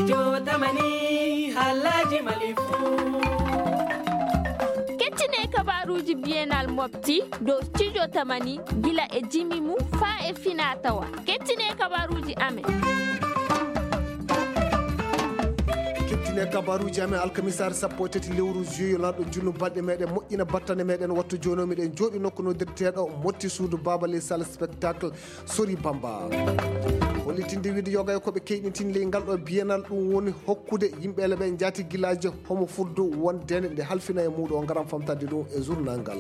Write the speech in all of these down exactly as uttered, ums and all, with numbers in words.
Jotamani, halaji malifu. Kettine kabaruji Bienal Mobti dow Studio Tamani gila e jimi mum faa e finaa tawa. Kettine kabaruji amen. Kettine kabaruji amen alkamisaare sappo e tati lewru juillet lanɗo junnu balɗe meɗen moƴƴina battane meɗen wattu jooni o miɗen jooɗi nokku noddirteeɗo motti suudu baaba ley salle spectacle sori bamba. Hollitinde wiide yoga e ko ɓe keyɗintini ley ngal ɗo biyenal ɗum woni hokkude yimɓe ele ɓe njaati gilaaji homo fuddu won dende nde halfina e muuɗo o ngaram famtande ɗum e journal ngal.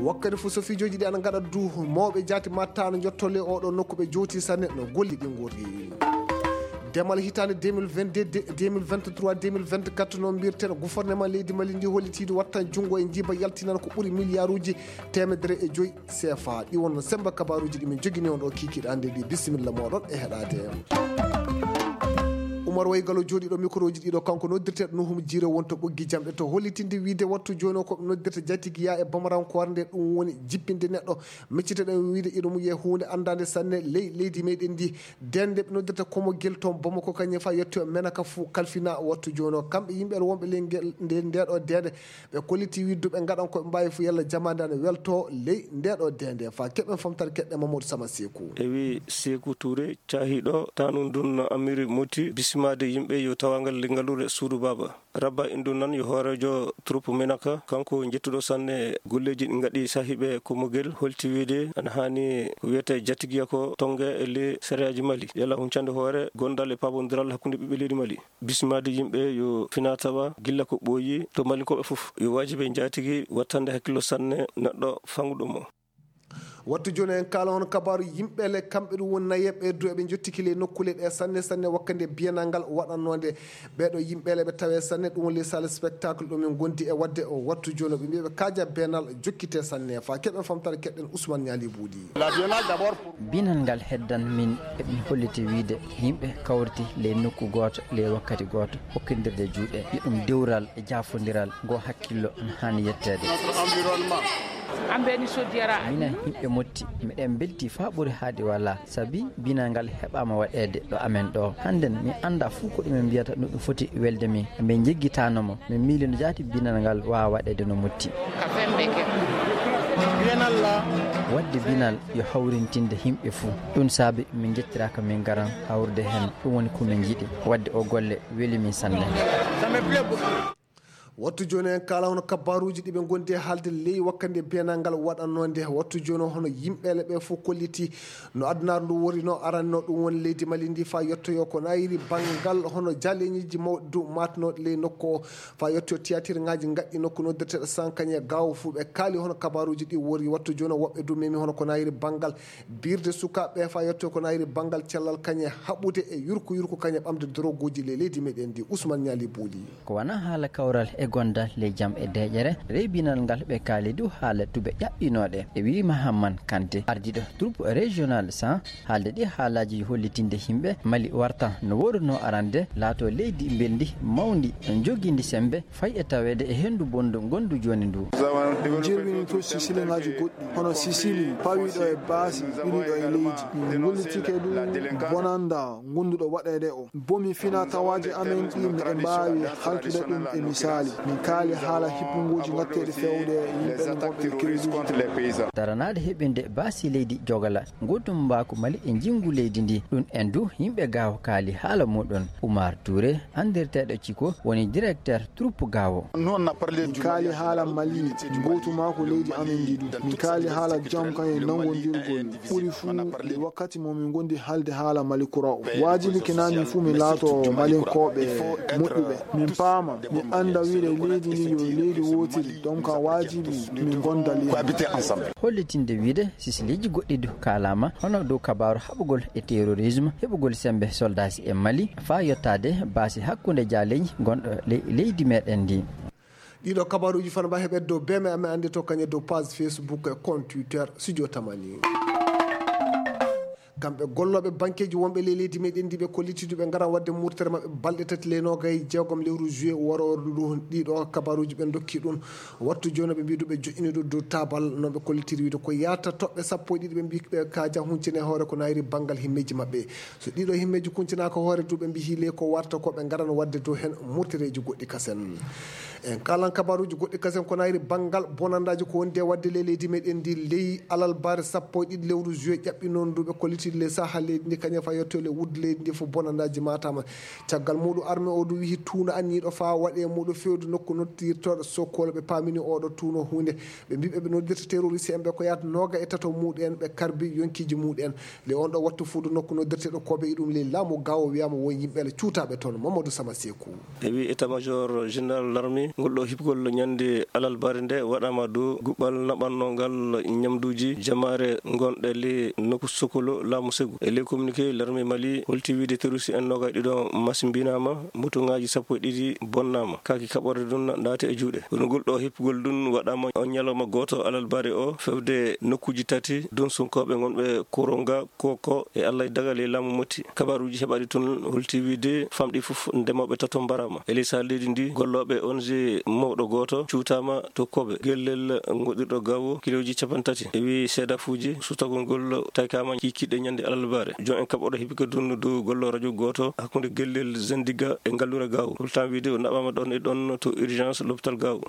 Wakkati fof so fiijooji ɗi ana ngaɗa du mawɓe jaati mattano jotto le oɗo nokku ɓe jooti sanne no golli ɗi ngorri. Demal hitaande deux mille vingt-deux deux mille vingt-trois deux mille vingt-quatre no mbirten gouvernement leydi mali ndi hollitiidu wattan junngo e njiiba yaltinan ko ɓuri miliyaruuji teemedere e joyi sefa ɗi wonno semba kabaruuji ɗi min jogini on ɗo kiikiiɗe hannde ɗi bisimilla moɗon e heɗaade. Umar waygalo jooɗiiɗo microji ɗiɗo kanko noddirteeɗo nuhum jiire wonto ɓoggi jamɗe to hollitinde wiide wattu jooni o koɓe noddirta jatigi ya e bamarankoore nde ɗum woni jippinde neɗɗo micciteɗen wiide iɗo mum ye huunde anndaande sanne ley leydi meɗen ndi dende ɓe noddirta komogel toon bomoko kañum fa yetti o menaka fuu kalfina wattu jooni o kamɓe yimɓe wonɓe ley ngel nde ndeɗo dende ɓe kolliti widduɓe ngaɗan koɓe mbawi fof yalla jamande ana welto ley ndeɗo dende fa keɓen famtare keɗɗe mamadou sama seku e wi seku touré cahiɗo tanu ndun no amiri moti bisimade yimɓe yo tawagal lingalure suudu baba rabba indu nan yo hoorejo troupe menaka kanko jettuɗo sanne golleji ɗi gaɗi sahiɓe komogel holti wiide ana hani ko wiyete jatigiya ko tonge e le sariyaji mali yalla huncande hoore gondal e pabodiral hakkude ɓiɓɓe leydi mali bisimade yimɓe yo fina tawa gilla ko ɓooyi to malinkoɓe fof yo wajibi e jaatigi wattande hakkillo sanne neɗɗo fanguɗo mo wattu jooni en kaala hono kabaru yimɓe le kamɓe ɗum woni nayeɓe du eɓe jottiki le nokkule ɗe sanne sanne wakkande biyanal ngal waɗannode ɓeɗo yimɓe le ɓe tawe sanne ɗum woni le salle spectacle ɗo min gondi e wadde o wattu jooni ɓe mbiyaɓe kaja benal jokkite sanne fa keɓen famtare keɗɗen ousmane ñaali buuɗi Binal ngal heddan min eɓe holliti wiide yimɓe kawriti ley nokku gooto ley wakkati gooto hokkindirde juuɗe yo ɗum dewral e jaafondiral ngo hakkillo no haani yetteede minen yimɓe motti miɗen mbelti faa ɓuri haadi wala sabi binal ngal heɓaama waɗeede ɗo amen ɗo hannden mi annda fuu ko ɗumen mbiyata no ɗum foti welde min min njeggitaano mo min miili no jaati binal ngal waawa waɗeede no motti wadde binal yo hawrintinde yimɓe fuu ɗum saabi min njettiraaka min ngaran hawrude heen ɗum woni ko min njiɗi wadde o golle weli min sanne wattu jooni en kaala hono kabaruuji ɗi ɓe ngondi e haalde ley wakkande biyanal ngal waɗannoo nde wattu jooni hono yimɓeele ɓe fof kolliti no adunaaru ndu wori no aranno ɗum woni leydi mali ndi faa yettoyo ko nayiri banngal hono jaleñiiji mawɗi du maatnooɗi ley nokku o faa yettoyo tiyatirŋaaji ngaɗɗi nokku noddirteeɗo sankañe gaawo fuu ɓe kaali hono kabaruuji ɗi wori wattu jooni woɓɓe du memi hono ko nayiri banngal birde sukaaɓe ɓe faa yettoyo ko nayiri banngal cellal kañe haɓude e yurku yurku kañe ɓamde doroguuji ley leydi meɗen ndi ousmane ñaali buuli ko wona haala kawral e gondal ley jam e deeƴere reybinal ngal ɓe kaali du haala tube ƴaɓɓinooɗe e wii mahamman kante ardiiɗo troupe régional cent haalde ɗi haalaaji hollitinde yimɓe mali warta no woruno arande laato leydi mbelndi mawndi jogindi sembe fay e taweede e henndu bonndu ngondu jooni ndu jirwini to sisiliŋaaji goɗɗi hono sisili pawiiɗo e baasi ɓiliiɗo e leydi min gollitike ɗum bonanda gonduɗo waɗeede o bomi fina tawaaji amen ɗi miɗen mbaawi haltude ɗum e misaali min kaali haala hippunguuji ngatteeɗi fewde yimɓe gonɓe e kerisuuji daranaade heɓinde baasi leydi jogala nguurndam mbaaku mali e njinngu leydi ndi ɗum en du yimɓe gaawo kaali haala muɗum umar touré anndirteeɗo ciko woni directeur troupe gaawo min kaali haala mali gootu maa ko leydi amen ndi ɗum min kaali haala jam kan e nanngondirgol ɓuri fuu e wakkati mo min ngondi haalde haala mali kura o waajibi kina min fuu min laato malinkooɓe moƴƴuɓe min paama min annda wiide leydi ndi yo leydi wootiri donc ka waajibi min ngonda leydi hollitinde wiide sisiliiji goɗɗi du kaalaama hono dow kabaaru haɓugol e terrorisme heɓugol sembe soldasi e mali faa yottaade baasi hakkunde jaaleeji gonɗo ley leydi meɗen ndi ɗiɗo kabaruuji fana mba heɓet dow beme amen anndi to kañe dow page facebook e compte twitter studio tamani Kamɓe gollooɓe bankeeji wonɓe ley leydi meɗen ndi ɓe kolliti du ɓe ngara waɗde murtere maɓɓe balɗe tati ley noogay jeegom lewru juillet warooru ndu. Ɗiɗo kabaruuji ɓe ndokki ɗum wattu jooni ɓe mbidu ɓe joƴƴini ɗum dow taabal no ɓe kollitiri wiide ko yaata toɓɓe sappo e ɗiɗi ɓe mbi ɓe kaaja huncine hoore ko nayri banngal himmeeji maɓɓe. So ɗiɗo himmeeji kuncinaaka hoore du ɓe mbi hiile ko warta ko ɓe ngaran waɗde dow heen murtereeji goɗɗi kasen. En kalan kabaruuji goɗɗi kasen ko nayri banngal bonandaaji ko wondi e waɗde ley leydi meɗen ndi ley alalbaare sappo e ɗiɗi lewru juillet ƴaɓɓi noon du ɓe kolliti ley saha leydi ndi kañum fa yetto ley wuddu leydi ndi fof bonandaaji matama. Caggal muɗum arme o du wihi tuuno anniiɗo fa waɗe muɗum fewde nokku noddirtoɗo sokkol ɓe pamini oɗo tuuno hunde ɓe mbi ɓe noddirta terroriste en ɓe ko yaata nooga e tato muɗum en ɓe karbi yonkiji muɗum en. Ley on ɗo wattu fuudu nokku noddirteɗo kobe e ɗum ley laamu gawo wiyama won yimɓe ala cuutaɓe toon mamadou sama seku. E wi état major général larmi ngol ɗo hiɓgol ñande alalbare nde waɗama dow guɓɓal naɓannongal ñamduji jamaare gonɗe ley nokku sokolo laamu segu e ley communiqué larmi mali holti wiide terroriste en noga ɗiɗo masimbinama motuŋaaji sappo e ɗiɗi bonnama kaaki kaɓorde ɗum naati e juuɗe kono ngol ɗo hippugol ɗum waɗama on ñalawma gooto alalbare o fewde nokkuuji tati donsunkooɓe gonɓe koronga koko e allah e dagal e laamu motti kabaruuji heɓaɗi toon holti wiide famɗi fof ndemooɓe tato mbarama e ley sahal leydi ndi gollooɓe ong mawɗo gooto cuutama to kobe gellel goɗɗirɗo gawo kiloji capanɗe tati e wi seedafuuji sutagol ngol taykama kikiɗe ñande alalbare jon en kaɓoɗo heɓi ko dunno dow gollo radio goto hakkunde gellel zendiga e ngallure gawo holtan wiide o naɓama ɗon e ɗon to urgence l'hôpital gawo.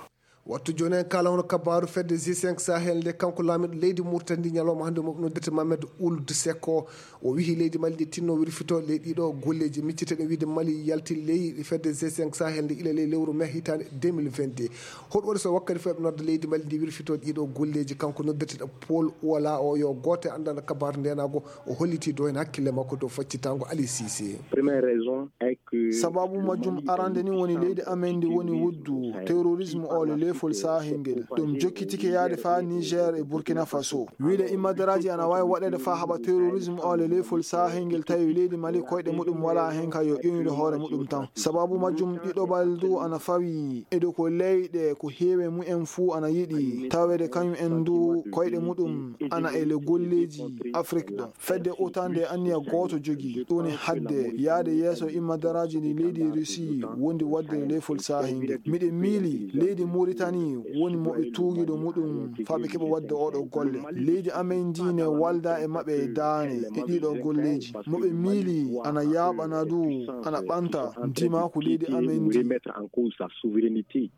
Wattu joni en kala hono kabaru fedde g cinq sahel nde kanko laamiɗo leydi murtandi ñalawma hannde mo noddirte mamed uld sekko o wihi leydi mali ndi tinno wirfito ley ɗiɗo golleji micciteɗen wiide mali yalti ley fedde g cinq sahel nde ila ley lewru mai hitande deux mille vingt-deux. Hoɗum waɗi so wakkati fof eɓe nodda leydi mali ndi wirfito ɗiɗo golleji kanko noddirteɗo paul wala o yo gooto e anndana kabaru ndenago o holliti dow heen hakkille makko dow faccitango ali sise. Première raison est que sababu majjum arande ni woni leydi amen ndi woni wuddu terrorisme o le lefol sahingel ɗum jokkitike yaade fa niger e burkina faso wiide immadaraji ana wawi waɗede fa haɓa terrorisme o le lefol sahingel tawi leydi mali koyɗe muɗum wala hen ka yo ƴoynude hoore muɗum tan sababu majjum ɗiɗo baldu ana fawi edo ko leyɗe ko heewe mumen fuu ana yiɗi tawede kañum en du koyɗe muɗum ana e le golleji afrik ɗo fedde otande anniya gooto jogi ɗum woni hadde yahde yeeso immadaraaji ndi leydi russie wondi waɗde lefol saahi nde miɗe miili leydi muritani woni mo ɓe tuugiɗo muɗum faa ɓe keɓa waɗde oɗo golle leydi amen ndi ne walda e maɓɓe e daane e ɗiɗo golleji mo ɓe miili ana yaaɓana du ana ɓanta ndima ko leydi amen ndi.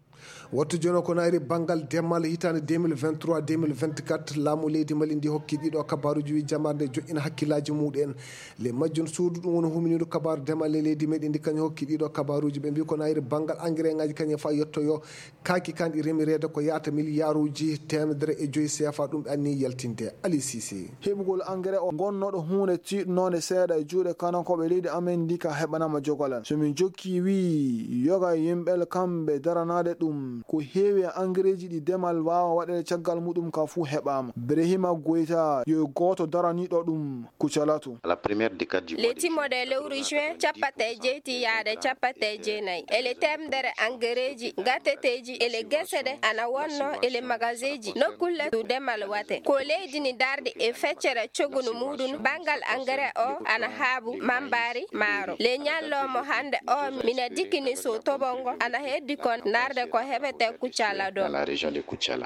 Wattu jono ko nayri banngal demal hitaande deux mille vingt-trois deux mille vingt-quatre laamu leydi mali ndi hokki ɗiɗo kabaruuji wi jamaare nde joƴƴina hakkillaaji muɗen le majjum suudu ɗum woni huminiiɗo kabaru demal e leydi meɗen ndi kañum hokki ɗiɗo kabaruuji ɓe mbi ko nayri banngal engrais ngaji kañum fa yettoyo kaaki kan ɗi remireede ko yaata miliyaruuji teemedere e joyi seefa ɗum ɓe anni yaltinde ali sisi. Heɓugol engrais o gonnoɗo huunde tiiɗnoonde seeɗa e juuɗe kanankooɓe leydi amen ndi ka heɓanama jogolal so min jokki wii yoga yimɓel kamɓe daranaade ɗum ko heewi e angereeji ɗi demal waawa waɗeede caggal muɗum ka fuu heɓaama brehima goyta yo gooto daraniiɗo ɗum kucalatu. Le timmoɗo e lewru juin cappata e jeyti yaade cappata e jeenayi ele temdere angereeji gateteeji ele gese ɗe ana wonno ele magaseeji nokkulle to demal wate ko leydi ni darde e feccere cogunu muɗum banngal engrais o ana haabu mambaari maaro le ñalloomo hannde o mina dikkini so tobongo ana heddi kon narde ko heɓete kuccala do.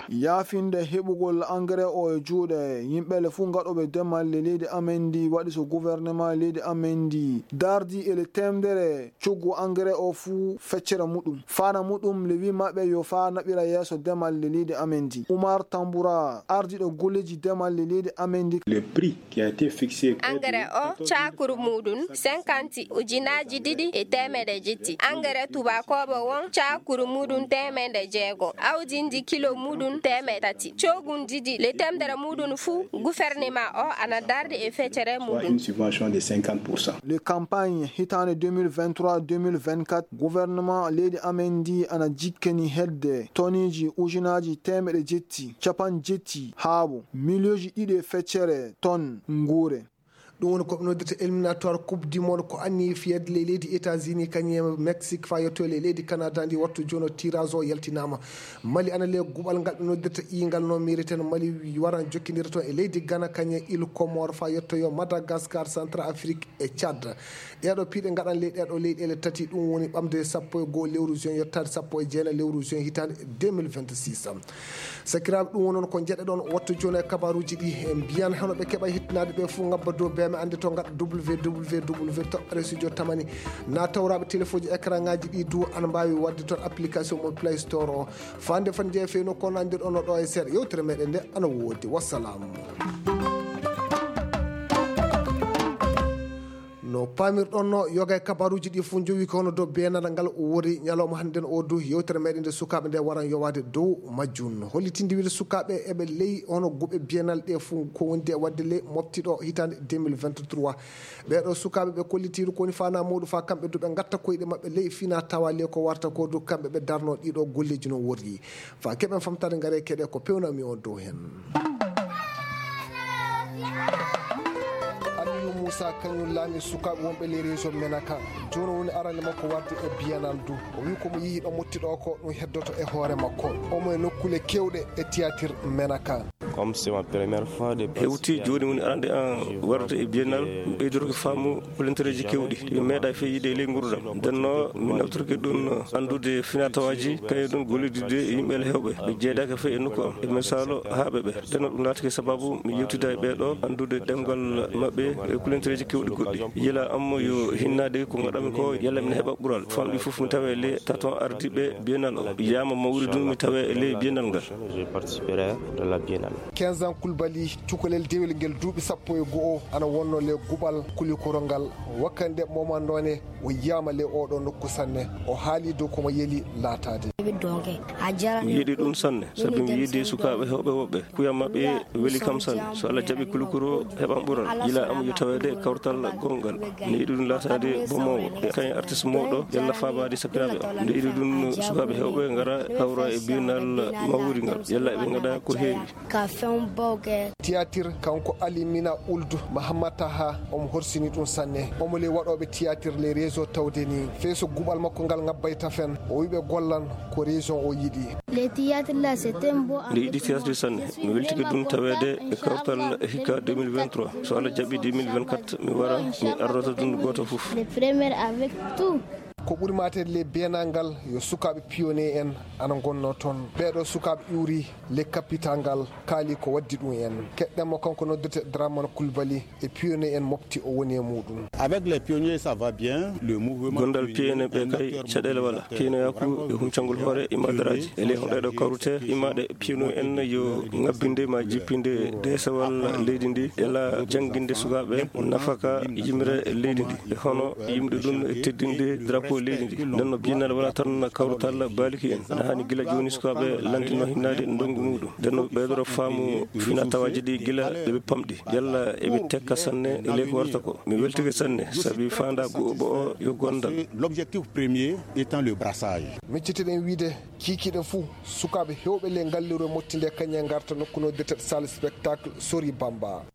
Yaafinde heɓugol engrais o e juuɗe yimɓe le fuu ngaɗooɓe demal le leydi amen ndi waɗi so gouvernement leydi amen ndi dardi ele temdere coggu engrais o fuu feccere muɗum fana muɗum le wi maɓɓe yo faa naɓira yeeso demal le leydi amen ndi umar tambura ardiɗo golleji demal le leydi amen ndi. Engrais o cakuru muɗum cinquante ujunaaji ɗiɗi e teemeɗe jetti engrais tubakooɓe won cakuru muɗum teemeɗe jeego awdi ndi kilo muɗum teemeɗe tati cogundidi le temdere muɗum fuu gouvernement o ana dardi e feccere muɗum. Le campagne hitaande deux mille vingt-trois deux mille vingt-quatre gouvernement leydi amen ndi ana jikkeni hedde toniji ujunaaji teemeɗe jetti capan jetti haabo milioji ɗiɗi e feccere ton nguure. Ɗum woni ko ɓe noddirta éliminatoire Coupe du Monde, ko anni fiyede ley leydi États-Unis kañum e Mexique fa yetto ley leydi Canada. Ndi wattu jono tirage o yaltinaama. Mali ana le guɓal ngal ɓe noddirta ingal no mériten. Mali waran jokkindira toon e leydi Ghana kañum e Île Comores fa yettoyo Madagascar, Centrafrique e Tchad. Ɗeeɗo piiɗe ngaɗan ley ɗeeɗo leyɗeele tati, ɗum woni ɓamde sappo e goo lewru juin yottaade sappo e jeenayi lewru juin hitaande deux mille vingt-six. Sakiraaɓe, ɗum woni noon ko njeɗe ɗoon wattu jooni e kabaruuji ɗi. En mbiyan hono ɓe keɓa hettinaade ɓe fof ngabba dow beeme annde to ngaɗa www toɓɓere studio tamani. Na tawraɓe téléphone ji écran ngaji ɗi du ana mbawi wadde toon application mo Play Store o. Fande fan jeeya feyno kono anndirɗon no ɗo e seeɗa yewtere meɗen nde ana woodi. Wassalamu. No paamirɗon no yoga e kabaruuji ɗi fof jowi ko hono dow beenal ngal o wori ñalawma hannde o du yewtere meɗen nde sukaaɓe nde waran yowaade dow majjum. Hollitinde wiide sukaaɓe eɓe ley hono guɓe beenal ɗe fof ko wondi e waɗde ley mofti ɗo hitaande deux mille vingt-trois. Ɓeeɗo sukaaɓe ɓe kollitiiru ko woni faanaa muuɗum fa kamɓe du ɓe ngatta koyɗe maɓɓe ley fina tawa ley ko warta ko du kamɓe ɓe darno ɗiɗo golleeji no worri. Fa keɓen famtare ngare keɗe ko pewnami on dow hen. Aliou Moussa kañum laami sukaaɓe wonɓe les régions Menaka. Jooni woni arande makko warde e biennale du. O wi ko mo yihi ɗo motti ɗo ko ɗum heddoto e hoore makko. Omo e nokkule kewɗe e théâtre Menaka. Comme c'est ma première fois de Hewti jooni woni arande an warde e biennale, mi ɓeydorki faamu kolintereeji kewɗi. Mi meeɗa feyide e ley nguurndam. Ndenno mi nawtorki ɗum anndude finatawaji kañum ɗum gollidde e yimɓe hewɓe. Ɓe jeedaaka fey e nokku am. E misaalo haaɓe ɓe. Ndenno ɗum laatake sababu mi yewtida e ɓeeɗo anndude ɗemngal maɓɓe e kolintereeji kewɗi goɗɗi. Yila am yo hinnaade ko ngaɗami ko yalla mi heɓa ɓural. Famɗi fof mi tawa e ley taton ardiiɓe biennale o. Yama mawri ɗum mi tawa e ley biennale ngal. Je participerai de la biennale. Quinze ans Koulibaly, cukalel dewel ngel duuɓi sappo e go'o, ana wonno le guɓal kulikoro ngal. Wakkande moment noone, o yiyama le oɗo nokku sanne. O haali dow komo yeli laataade. Mi yiɗi ɗum sanne, sabi mi yiɗi sukaaɓe hewɓe woɓɓe. Kuyam maɓɓe weli kam sanne. So Allah jaɓi kulikoro heɓan ɓural. Yila am yo taweede e kawtal gongal. Mi yiɗi ɗum laataade bomowo. E kañum artiste mawɗo, yalla faabaade sakiraaɓe am. Nde yiɗi ɗum sukaaɓe hewɓe ngara kawra e biennale mawri ngal. Yalla eɓe ngaɗa ko heewi. Ka fɛnw baw kɛ. Théâtre kanko Alimina Ould Mahamat Taha omo horsini ɗum sanne. Omo le waɗoɓe théâtre les réseaux tawde ni. Fey so guɓal makko ngal ngabbay tafen. O wiɓe gollan ko région o yiɗi. Le théâtre là, c'est un beau Nde yiɗi théâtre sanne. Mi weltike ɗum taweede e kawtal hikka deux mille vingt-trois. So Allah jaɓi deux mille vingt-quatre mi wara mi arrota ɗum gooto fof. Le premier avec tout. Ko ɓuri maate le beenal ngal yo sukaaɓe pionnier en ana ngonnoo toon. Ɓeeɗo sukaaɓe iwri le capital ngal kaali ko waddi ɗum en. Keɗɗen mo kanko noddirte Dramane Coulibaly e pionnier en mofti o woni e muɗum. Avec les pionniers, ça va bien. Le mouvement Gondal pionnier ɓe kay caɗeele wala. Pionnier ko e huncangol hoore e madaraaji. E ley honɗeɗo kawrute imaɗe piyano en yo ngabbinde ma jippinde desewal leydi ndi, ela jannginde sukaaɓe nafaka yimre leydi ndi, e hono yimde ɗum e teddinde drapeau leydi ndi. Nden no biennale wala tan kawrutal baaliki en. Ana hani gila jooni sukaaɓe lantino hinnaade ndongu muɗum. Nden no ɓeydoro faamu fina tawaaji ɗi gila ɓe ɓe pamɗi. Yalla eɓe tekka sanne e ley ko warta ko. Mi weltike sanne, sabi faandaa go'oɓo o yo gondal. L'objectif premier étant le brassage. Miccitiɗen wiide kiikiiɗe fuu, sukaaɓe heewɓe le ngallirwe mottinde kañe ngarta nokku no noddirtee salle spectacle Sori Bamba.